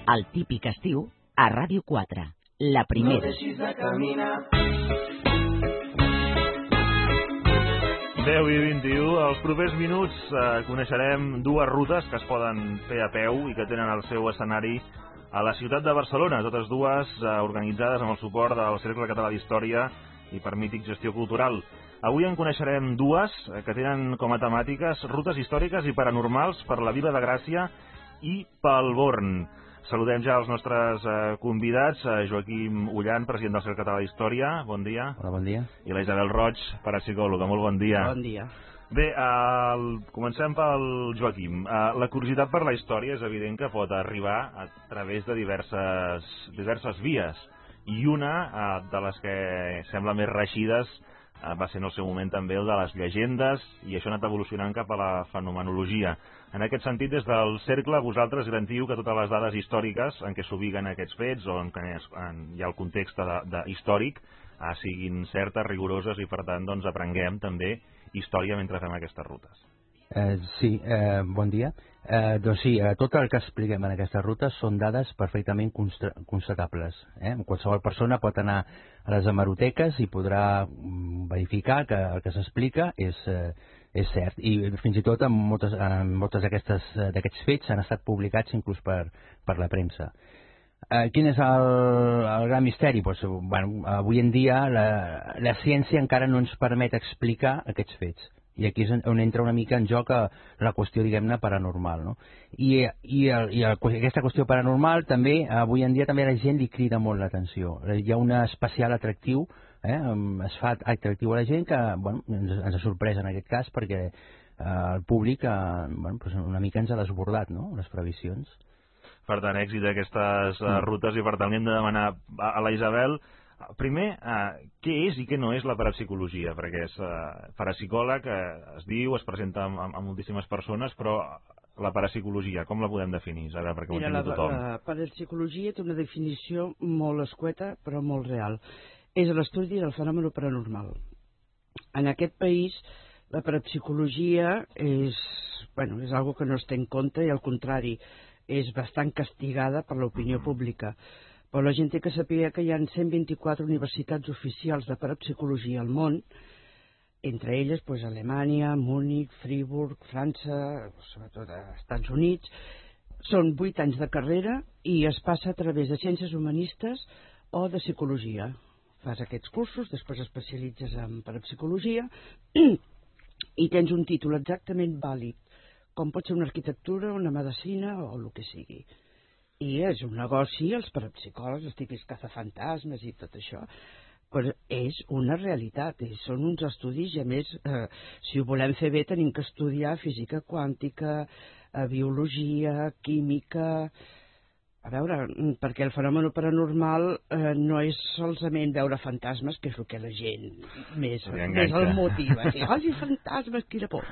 El típic estiu a Ràdio 4, la primera. No deixis de caminar. 10:21, els propers minuts coneixerem dues rutes que es poden fer a peu i que tenen el seu escenari a la ciutat de Barcelona, totes dues organitzades amb el suport del Cercle Català d'Història i per Mític Gestió Cultural. Avui en coneixerem dues que tenen com a temàtiques rutes històriques i paranormals per la Vila de Gràcia i pel Born. Saludem ja els nostres convidats, Joaquim Ullan, president del Cercle Català d'Història, bon dia. Hola, bon dia. I la Isabel Roig, parapsicòloga, molt bon dia. Bon dia. Bé, comencem pel Joaquim. La curiositat per la història és evident que pot arribar a través de diverses vies, i una de les que sembla més reeixides va ser en el seu moment també el de les llegendes, i això ha anat evolucionant cap a la fenomenologia. En aquest sentit, des del Cercle, vosaltres garantiu que totes les dades històriques en què s'ubiquen aquests fets o en què hi ha el context històric siguin certes, rigoroses, i per tant doncs aprenguem també història mentre fem aquestes rutes. Sí, bon dia. Doncs sí, tot el que expliquem en aquestes rutes són dades perfectament constatables. Qualsevol persona pot anar a les hemeroteques i podrà verificar que el que s'explica és cert. I fins i tot en moltes d'aquests fets han estat publicats inclús per la premsa. Quin és el gran misteri? Avui en dia la ciència encara no ens permet explicar aquests fets. I aquí és on entra una mica en joc la qüestió, diguem-ne, paranormal, no? I aquesta qüestió paranormal també, avui en dia també la gent li crida molt l'atenció. Hi ha un especial atractiu, es fa atractiu a la gent que ens ha sorprès en aquest cas perquè el públic una mica ens ha desbordat, no?, les previsions. Per tant, èxit d'aquestes rutes, i per tant hem de demanar a la Isabel primer, què és i què no és la parapsicologia, perquè és parapsicòleg, es diu, es presenta a moltíssimes persones, però la parapsicologia, com la podem definir, Isabel, perquè ho entengui tothom? La parapsicologia té una definició molt escueta, però molt real. És l'estudi del fenomen paranormal. En aquest país, la parapsicologia és algo que no es té en compte, i al contrari, és bastant castigada per l'opinió pública. Però la gent té que saber que hi ha 124 universitats oficials de parapsicologia al món, entre elles Alemanya, Múnich, Friburg, França, sobretot als Estats Units. Són 8 anys de carrera i es passa a través de ciències humanistes o de psicologia. Fas aquests cursos, després especialitzes en parapsicologia i tens un títol exactament vàlid, com pot ser una arquitectura, una medicina o el que sigui. I és un negoci, els parapsicòlegs, els típics cazafantasmes i tot això, però és una realitat, són uns estudis, i a més, si ho volem fer bé, tenim que estudiar física quàntica, biologia, química. A veure, perquè el fenomen paranormal no és solament veure fantasmes, que és el que la gent més el motiva. Ai, fantasmes, quina por!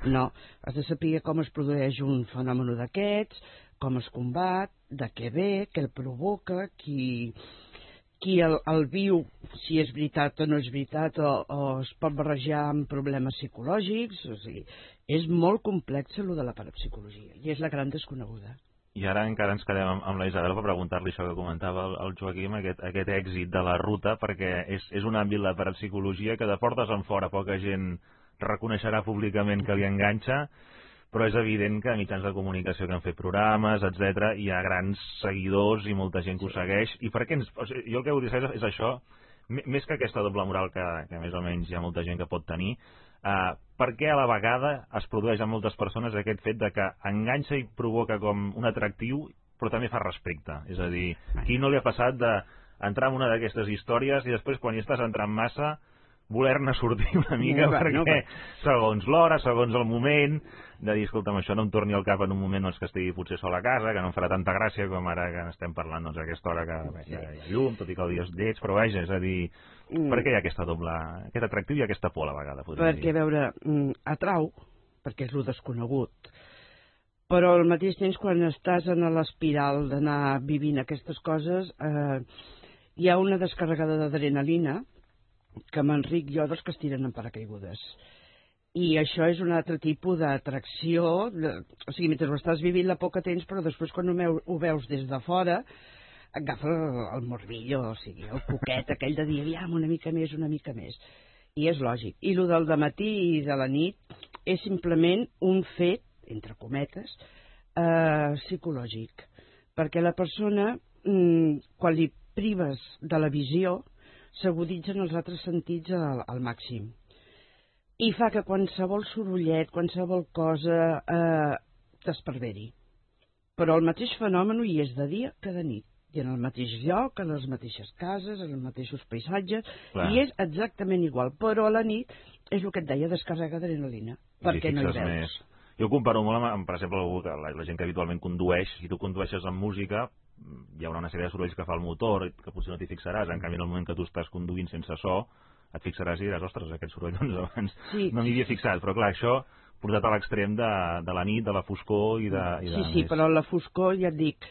No, has de saber com es produeix un fenomen d'aquests, com es combat, de què ve, què el provoca, qui el viu, si és veritat o no és veritat, o es pot barrejar amb problemes psicològics. O sigui, és molt complex el de la parapsicologia, i és la gran desconeguda. I ara encara ens quedem amb la Isabel per preguntar-li això que comentava el Joaquim, aquest èxit de la ruta, perquè és un àmbit, la parapsicologia, que de portes en fora poca gent reconeixerà públicament que li enganxa, però és evident que a mitjans de comunicació que han fet programes, etc., hi ha grans seguidors i molta gent que ho segueix. I per què jo el que vull dir és això, més que aquesta doble moral que més o menys hi ha molta gent que pot tenir, per què a la vegada es produeix en moltes persones aquest fet de que enganxa i provoca com un atractiu, però també fa respecte? És a dir, qui no li ha passat d'entrar en una d'aquestes històries i després, quan hi estàs entrant massa, voler-ne sortir una mica, perquè segons l'hora, segons el moment, de dir, escolta'm, això no em torni al cap en un moment que estigui potser sol a casa, que no em farà tanta gràcia com ara que estem parlant a aquesta hora que hi ha llum, tot i que el dia és lleig, però vaja, és a dir, per què hi ha aquest atractiu i aquesta por a la vegada? Perquè, a veure, atrau, perquè és el desconegut, però al mateix temps, quan estàs en l'espiral d'anar vivint aquestes coses, hi ha una descarregada d'adrenalina que m'enric jo dels que es tiren en paracaigudes. I això és un altre tipus d'atracció, o sigui, mentre ho estàs vivint la por que tens, però després quan ho veus des de fora, agafa el morbillo, o sigui, el coquet aquell de dir, aviam, una mica més, i és lògic. I el del dematí i de la nit és simplement un fet, entre cometes, psicològic, perquè la persona, quan li prives de la visió, s'aguditzen els altres sentits al màxim. I fa que qualsevol sorollet, qualsevol cosa t'esparveri. Però el mateix fenomen hi és de dia que de nit. I en el mateix lloc, en les mateixes cases, en els mateixos paisatges, i és exactament igual. Però a la nit és el que et deia, descarrega adrenalina, perquè no hi veus. Més. Jo ho comparo molt amb, per exemple, la gent que habitualment condueix. Si tu condueixes amb música, hi haurà una sèrie de sorolls que fa el motor, que potser no t'hi fixaràs. En canvi, en el moment que tu estàs conduint sense so, et fixaràs i diràs, ostres, aquest soroll, doncs abans no m'hi havia fixat. Però clar, això portat a l'extrem de la nit, de la foscor i de... Sí, però la foscor, ja et dic,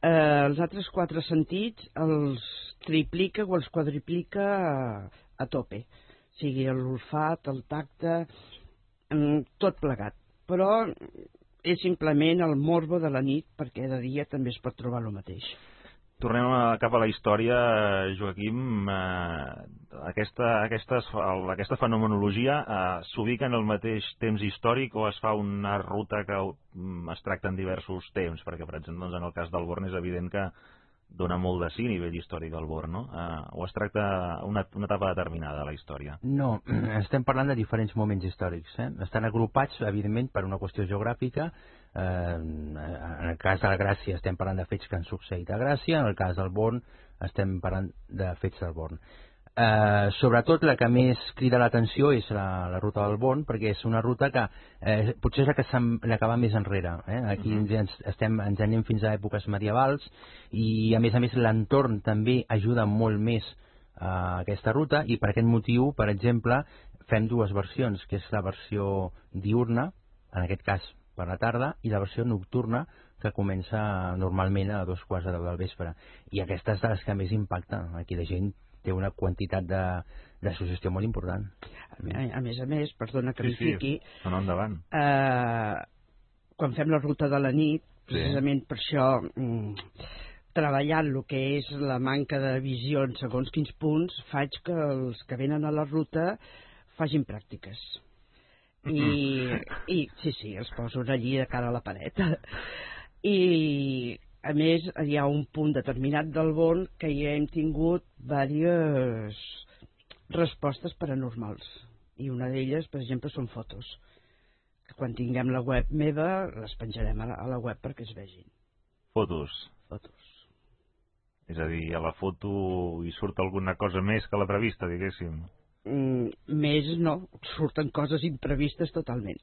els altres 4 sentits els triplica o els quadriplica a tope. O sigui, l'olfat, el tacte, tot plegat. Però és simplement el morbo de la nit, perquè de dia també es pot trobar el mateix. Tornem cap a la història, Joaquim. Aquesta fenomenologia s'ubica en el mateix temps històric o es fa una ruta que es tracta en diversos temps? Perquè, per exemple, en el cas del Born és evident que dona molt de sí a nivell històric al Born, no? O es tracta una etapa determinada de la història? No, estem parlant de diferents moments històrics. Estan agrupats, evidentment, per una qüestió geogràfica. En el cas de la Gràcia estem parlant de fets que han succeït a Gràcia, en el cas del Born estem parlant de fets del Born. Sobretot la que més crida l'atenció és la ruta del Born, perquè és una ruta que potser és la que va més enrere. Aquí ens anem fins a èpoques medievals i a més l'entorn també ajuda molt més a aquesta ruta, i per aquest motiu, per exemple, fem 2 versions, que és la versió diurna, en aquest cas per la tarda, i la versió nocturna, que comença normalment a 2:15 del vespre. I aquesta és de les que més impacta. Aquí la gent té una quantitat de suggestió molt important. A més, perdona que m'hi fiqui, endavant. Quan fem la ruta de la nit, precisament per això, treballant el que és la manca de visió en segons quins punts, faig que els que venen a la ruta facin pràctiques. I sí, els poso allí de cara a la paret. I a més hi ha un punt determinat del Born que ja hem tingut diverses respostes paranormals, i una d'elles, per exemple, són fotos que quan tinguem la web meva les penjarem a la web perquè es vegin. Fotos. És a dir, a la foto hi surt alguna cosa més que la prevista, diguéssim? Més no, surten coses imprevistes totalment,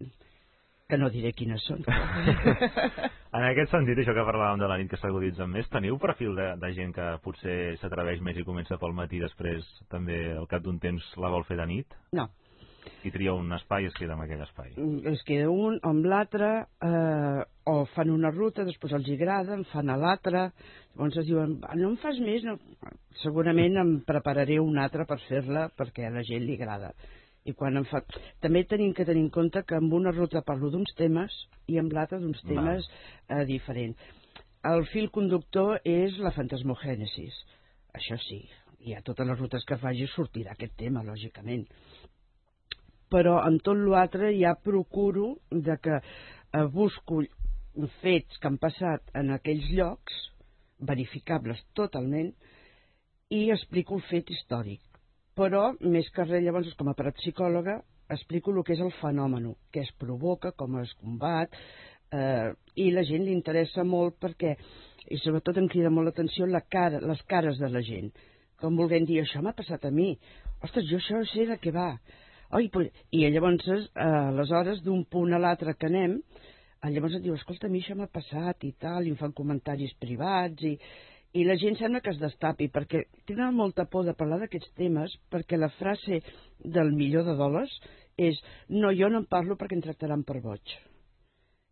que no diré quines són. En aquest sentit, això que parlàvem de la nit que s'aguditzen més, teniu perfil de gent que potser s'atreveix més i comença pel matí i després també al cap d'un temps la vol fer de nit? No. I tria un espai i es queda en aquell espai? Es queda un o amb l'altre, o fan una ruta, després els agrada, en fan a l'altre, llavors es diuen, no en fas més? No. Segurament em prepararé una altra per fer-la perquè a la gent li agrada. I quan em fa... També tenim que tenir en compte que amb una ruta parlo d'uns temes i amb l'altra d'uns temes diferents. El fil conductor és la fantasmogènesis. Això sí, i a totes les rutes que faci sortirà aquest tema, lògicament. Però en tot l'altre ja procuro de que busco fets que han passat en aquells llocs, verificables totalment, i explico el fet històric. Però, més que res, llavors, com a parapsicòloga, explico el que és el fenomen, què es provoca, com es combat, i la gent li interessa molt perquè, i sobretot em crida molt l'atenció les cares de la gent, com volent dir, això m'ha passat a mi, ostres, jo això sé de què va. I llavors, aleshores, d'un punt a l'altre que anem, llavors et diu, escolta, a mi això m'ha passat i tal, i em fan comentaris privats, i la gent sembla que es destapi, perquè tenen molta por de parlar d'aquests temes, perquè la frase del $1.000.000 és, no, jo no en parlo perquè em tractaran per boig.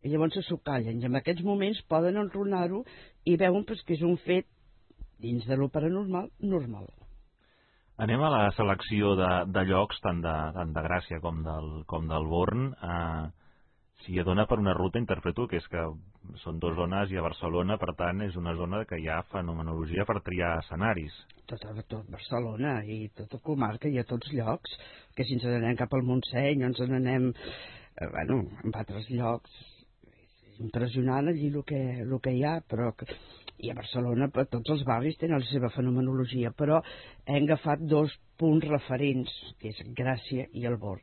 I llavors s'ho callen, i en aquests moments poden enronar-ho i veuen que és un fet, dins de lo paranormal, normal. Anem a la selecció de llocs, tant de Gràcia com del Born. Si dona per una ruta, interpreto que és que són dues zones i a Barcelona, per tant, és una zona que hi ha fenomenologia per triar escenaris. Tot Barcelona i tota comarca i a tots llocs, que si ens n'anem cap al Montseny o ens n'anem en altres llocs, és impressionant allí el que hi ha, però i a Barcelona tots els barris tenen la seva fenomenologia, però hem agafat 2 punts referents, que és Gràcia i el Born.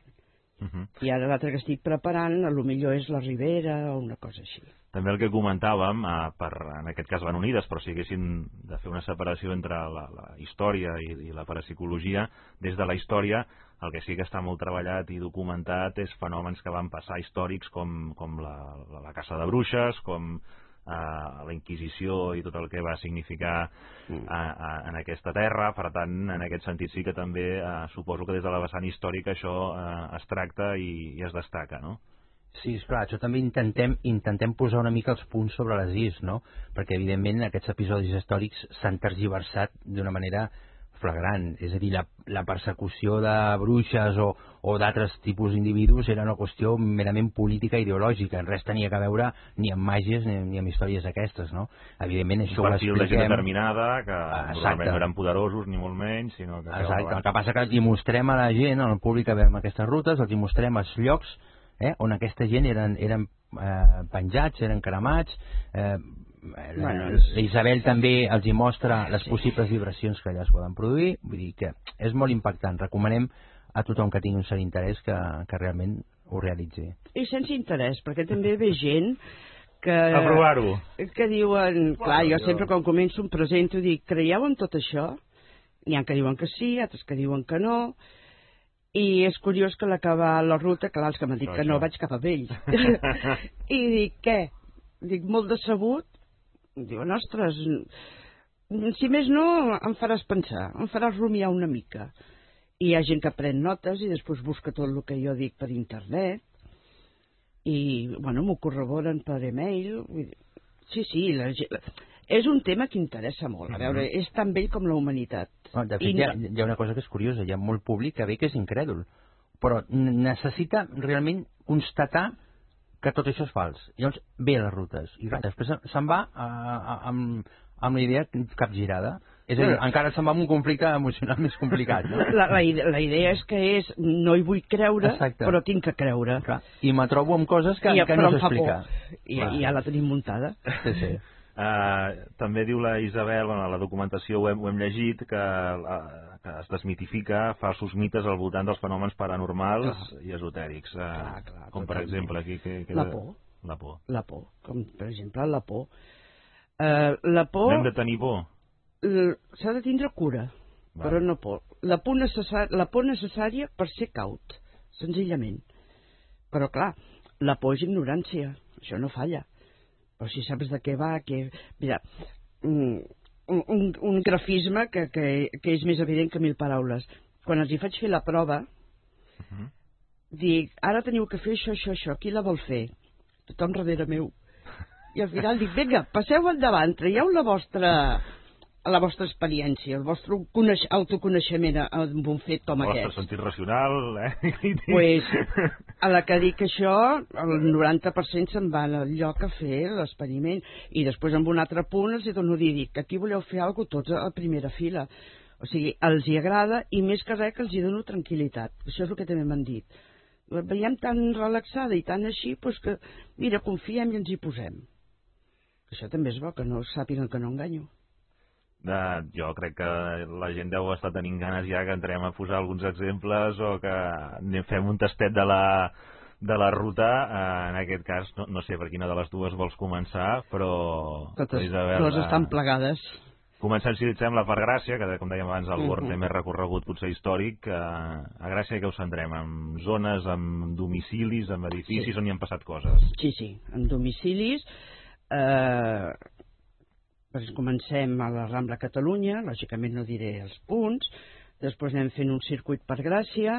I ara l'altre que estic preparant potser és la Ribera o una cosa així. També el que comentàvem, en aquest cas van unides, però si haguéssim de fer una separació entre la història i la parapsicologia, des de la història el que sí que està molt treballat i documentat és fenòmens que van passar històrics com la caça de bruixes, com la Inquisició i tot el que va significar en aquesta terra. Per tant, en aquest sentit sí que també suposo que des de la vessant històrica això es tracta i es destaca, no? Sí, esclar, això també intentem posar una mica els punts sobre les is, no? Perquè evidentment aquests episodis històrics s'han tergiversat d'una manera flagrant, és a dir, la persecució de bruixes o d'altres tipus d'individus era una qüestió merament política i ideològica, res tenia a veure ni amb màgies ni amb històries aquestes, no? Evidentment això ho expliquem... Un perfil de gent determinada, que normalment no eren poderosos ni molt menys, sinó que... Exacte, el que passa que els mostrem a la gent, al públic que veiem aquestes rutes, els mostrem els llocs on aquesta gent eren penjats, eren cremats, l'Isabel també els hi mostra les possibles vibracions que allà es poden produir, vull dir que és molt impactant. Recomanem a tothom que tingui un cert interès que realment ho realitzi. I sense interès, perquè també ve gent que... A provar-ho. Que diuen, clar, jo sempre quan començo em presento i dic, creieu en tot això? N'hi ha que diuen que sí, altres que diuen que no, i és curiós que a l'acabar la ruta, clar, els que m'han dit que no, vaig cap a ells. I dic, què? Dic, molt decebut. Diuen, ostres, si més no, em faràs pensar, em faràs rumiar una mica. I hi ha gent que pren notes i després busca tot el que jo dic per internet i, bueno, m'ho corroboren per e-mail. Sí, és un tema que interessa molt. A veure, és tan vell com la humanitat. De fet, hi ha una cosa que és curiosa, hi ha molt públic que ve que és incrèdul, però necessita realment constatar que tot això és fals. Llavors ve a les rutes i després se'n va amb la idea capgirada. És a dir, encara se'n va amb un conflicte emocional més complicat. No? La idea és que no hi vull creure, exacte, però tinc que creure. Clar. I me trobo amb coses que no s'explica. I ja la tenim muntada. Sí. També diu la Isabel, a la documentació ho hem llegit, que es desmitifica falsos mites al voltant dels fenòmens paranormals i esotèrics. Clar, com per exemple aquí... La por. La por, com per exemple la por. La por... N'hem de tenir por? S'ha de tindre cura, però no por. La por necessària per ser caut, senzillament. Però clar, la por és ignorància, això no falla. Però si saps de què va, mira, un grafisme que és més evident que 1000 paraules. Quan els hi faig fer la prova, dic, ara teniu que fer això, qui la vol fer? Tothom darrere meu. I al final dic, vinga, passeu endavant, traieu la vostra experiència, el vostre autoconeixement amb un fet com aquest. El vostre sentit racional, Pues, a la que dic això, el 90% se'n van al lloc a fer l'experiment, i després amb un altre punt els dono a dir, dic, aquí voleu fer alguna cosa tots a primera fila. O sigui, els hi agrada, i més que res que els hi dono tranquil·litat. Això és el que també m'han dit. La veiem tan relaxada i tan així, doncs que, mira, confiem i ens hi posem. Això també és bo, que no sàpiguen que no enganyo. Jo crec que la gent deu estar tenint ganes ja que entrem a posar alguns exemples o que fem un tastet de la ruta. En aquest cas, no sé per quina de les dues vols començar, però... Totes dues estan plegades. Comencem, si et sembla, per Gràcia, que com dèiem abans, el Born té més recorregut potser històric. A Gràcia que us centrem? En zones, en domicilis, en edificis, on hi han passat coses? Sí, en domicilis. Comencem a la Rambla Catalunya, lògicament no diré els punts, després anem fent un circuit per Gràcia,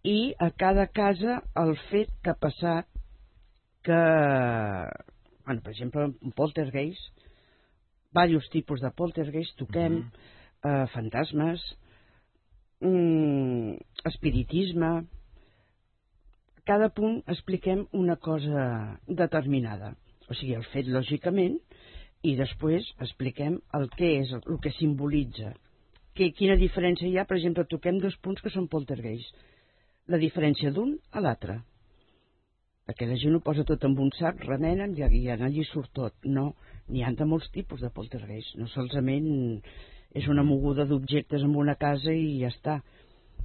i a cada casa el fet que ha passat que, bueno, per exemple, un poltergeist, diversos tipus de poltergeist, toquem, fantasmes, espiritisme. Cada punt expliquem una cosa determinada. O sigui, el fet lògicament, i després expliquem el que és, el que simbolitza. Quina diferència hi ha, per exemple, toquem 2 punts que són poltergeist. La diferència d'un a l'altre. Perquè la gent ho posa tot en un sac, remenen i allí surt tot. No, n'hi ha de molts tipus de poltergeist. No solament és una moguda d'objectes en una casa i ja està.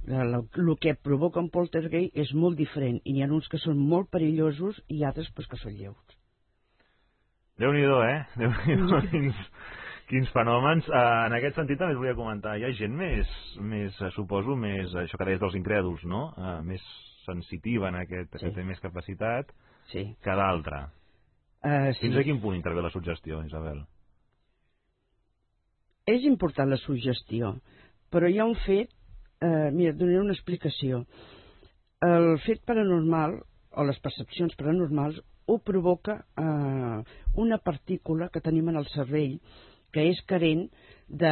El que provoca un poltergeist és molt diferent i n'hi ha uns que són molt perillosos i altres pues, que són lleus. Déu-n'hi-do, Déu-n'hi-do, quins fenòmens. En aquest sentit també us volia comentar, hi ha gent més suposo, això que deies dels incrèduls, no? Més sensitiva en aquest, que té més capacitat que d'altra. Fins a quin punt intervé la suggestió, Isabel? És important la suggestió, però hi ha un fet, mira, et donaré una explicació. El fet paranormal, o les percepcions paranormals, ho provoca una partícula que tenim en el cervell que és carent de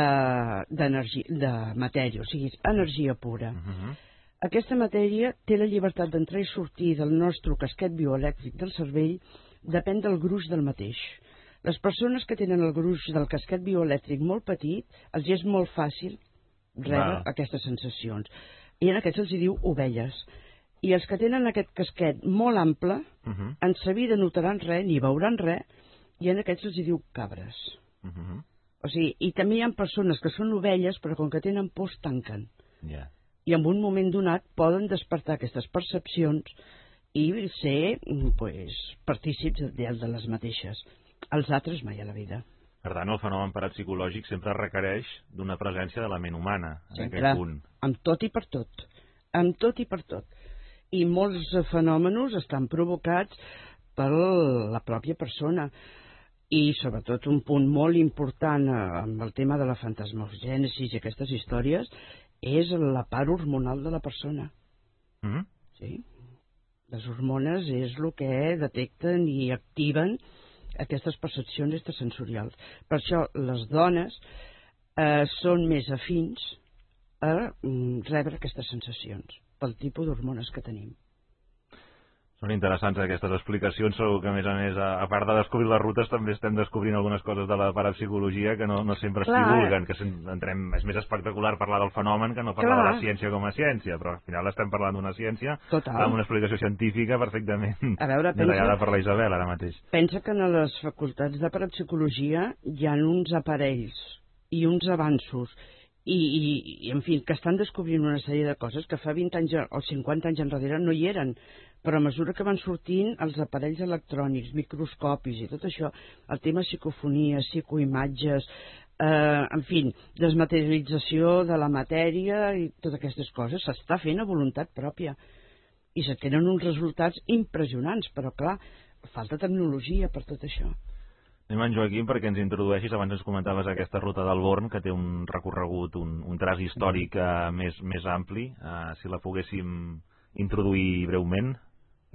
matèria, o sigui, energia pura. Aquesta matèria té la llibertat d'entrar i sortir del nostre casquet bioelèctric del cervell, depèn del gruix del mateix. Les persones que tenen el gruix del casquet bioelèctric molt petit, els és molt fàcil rebre aquestes sensacions. I en aquests els diu ovelles. I els que tenen aquest casquet molt ample, en sa vida notaran res, ni veuran res, i en aquests els diu cabres. O sigui, i també hi ha persones que són ovelles, però com que tenen por, tanquen. I en un moment donat poden despertar aquestes percepcions i ser partícips de les mateixes. Els altres mai a la vida. Per tant, el fenomen parapsicològic sempre requereix d'una presència de la ment humana, en aquest punt. Amb tot i per tot. Amb tot i per tot. I molts fenòmenos estan provocats per la pròpia persona. I sobretot un punt molt important amb el tema de la fantasmogènesi i aquestes històries és la part hormonal de la persona. Sí. Les hormones és el que detecten i activen aquestes percepcions extrasensorials. Per això les dones són més afins a rebre aquestes sensacions pel tipus d'hormones que tenim. Són interessants aquestes explicacions. Segur que, a més, a part de descobrir les rutes, també estem descobrint algunes coses de la parapsicologia que no sempre es divulguen, que és més espectacular parlar del fenomen que no parlar de la ciència com a ciència, però al final estem parlant d'una ciència amb una explicació científica perfectament detallada per la Isabel ara mateix. Pensa que en les facultats de parapsicologia hi ha uns aparells i uns avanços i en fi, que estan descobrint una sèrie de coses que fa 20 anys o 50 anys enrere no hi eren, però a mesura que van sortint els aparells electrònics, microscopis i tot això, el tema psicofonia, psicoimatges, en fi, desmaterialització de la matèria i totes aquestes coses, s'està fent a voluntat pròpia i se tenen uns resultats impressionants, però clar, falta tecnologia per tot això. Anem en Joaquim perquè ens introdueixis, abans ens comentaves aquesta ruta del Born, que té un recorregut, un traç històric més ampli. Si la poguéssim introduir breument.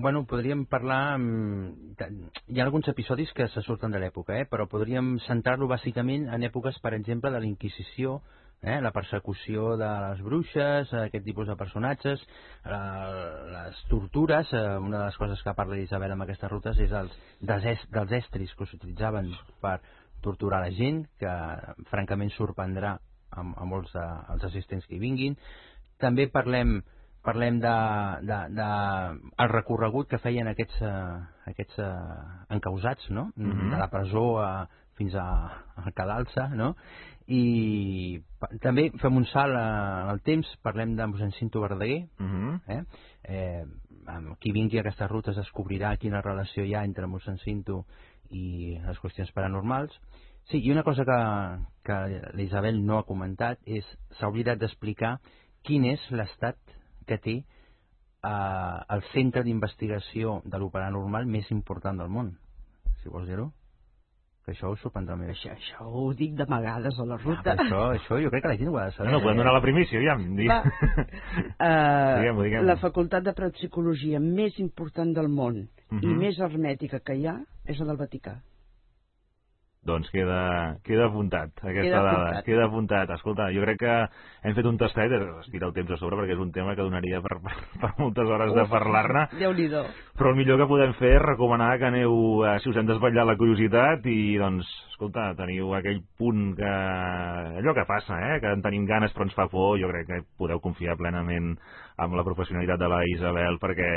Bueno, podríem parlar... Hi ha alguns episodis que se surten de l'època, però podríem centrar-lo bàsicament en èpoques, per exemple, de la Inquisició, la persecució de les bruixes, aquest tipus de personatges, les tortures. Una de les coses que parla Isabel amb aquestes rutes és dels estris que s'utilitzaven per torturar la gent, que francament sorprendrà a molts dels assistents que hi vinguin. També parlem del recorregut que feien aquests encausats, no? De la presó fins a Cadalsa, no? I també fem un salt en el temps, parlem de mossèn Cinto Verdaguer. Qui vingui a aquestes rutes descobrirà quina relació hi ha entre mossèn Cinto i les qüestions paranormals. Sí, i una cosa que l'Isabel no ha comentat és s'ha oblidat d'explicar quin és l'estat que té el centre d'investigació de lo paranormal més important del món, si vols dir-ho, que això us sorprendrà més. Això ho dic d'amagades a la ruta. Això jo crec que la gent ho ha de saber. No, podem donar la primícia, aviam. La facultat de parapsicologia més important del món i més hermètica que hi ha és la del Vaticà. Doncs queda apuntat aquesta dada, queda apuntat. Escolta, jo crec que hem fet un tastet, es tira el temps a sobre perquè és un tema que donaria per moltes hores de parlar-ne, però el millor que podem fer és recomanar que aneu, si us hem desvetllat la curiositat i doncs, escolta, teniu aquell punt que... allò que passa, que en tenim ganes però ens fa por, jo crec que podeu confiar plenament en la professionalitat de la Isabel perquè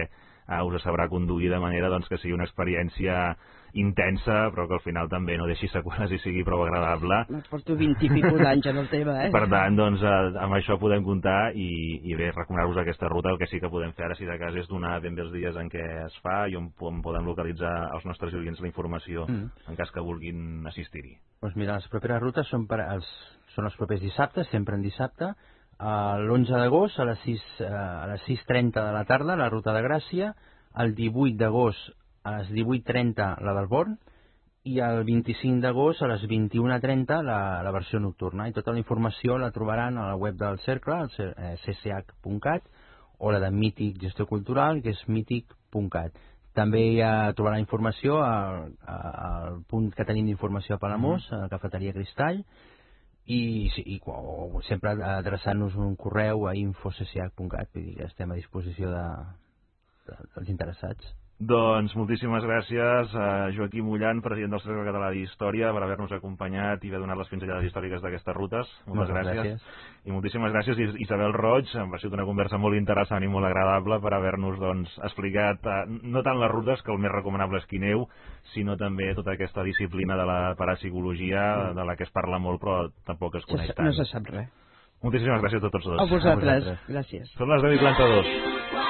us sabrà conduir de manera doncs, que sigui una experiència intensa, però que al final també no deixi seqüeles i sigui prou agradable. Porto 20 i pico d'anys en el tema, Per tant, doncs, amb això podem comptar i bé, recomanar-vos aquesta ruta. El que sí que podem fer ara, si de cas, és donar ben bé els dies en què es fa i on podem localitzar els nostres oients la informació en cas que vulguin assistir-hi. Doncs mira, les properes rutes són els propers dissabtes, sempre en dissabte, l'11 d'agost a les 6:30 de la tarda, la ruta de Gràcia, el 18 d'agost a les 18:30 la del Born i el 25 d'agost a les 21:30 la versió nocturna. I tota la informació la trobaran a la web del Cercle, cch.cat, o la de Mític Gestió Cultural, que és mític.cat. També trobarà informació al punt que tenim d'informació a Palamós, a la cafeteria Cristall, i sempre adreçant-nos un correu a info.cch.cat, vull dir que estem a disposició dels interessats. Doncs moltíssimes gràcies a Joaquim Ullan, president del Cercle Català d'Història, per haver-nos acompanyat i haver donat les pinzellades històriques d'aquestes rutes. Moltes gràcies. I moltíssimes gràcies Isabel Roig, ha sigut una conversa molt interessant i molt agradable per haver-nos explicat no tant les rutes, que el més recomanable és que aneu, sinó també tota aquesta disciplina de la parapsicologia, de la que es parla molt però tampoc es coneix tant. No se sap res. Moltíssimes gràcies a tots dos. A vosaltres. Gràcies. Són les 10:32.